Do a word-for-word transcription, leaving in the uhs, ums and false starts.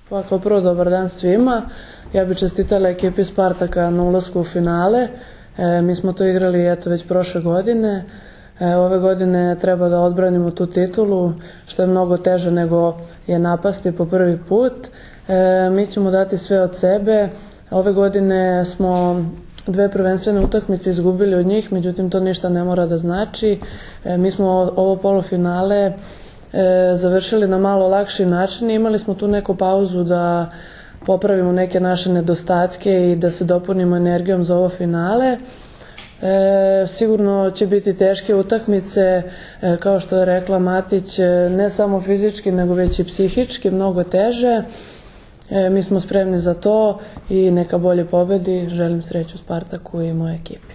Pa kao prvo dobar dan svima. Ja bih čestitala ekipi Spartaka na ulasku u finale. E, mi smo to igrali eto već prošle godine. E, ove godine treba da odbranimo tu titulu, što je mnogo teže nego je napasti po prvi put. E, mi ćemo dati sve od sebe. Ove godine smo dve prvenstvene utakmice izgubili od njih, međutim to ništa ne mora da znači. E, mi smo ovo polufinale e, završili na malo lakši način i imali smo tu neku pauzu da popravimo neke naše nedostatke i da se dopunimo energijom za ovo finale. E, sigurno će biti teške utakmice, e, kao što je rekla Matić, ne samo fizički nego već i psihički, mnogo teže. E, mi smo spremni za to i neka bolje pobedi. Želim sreću Spartaku i mojoj ekipi.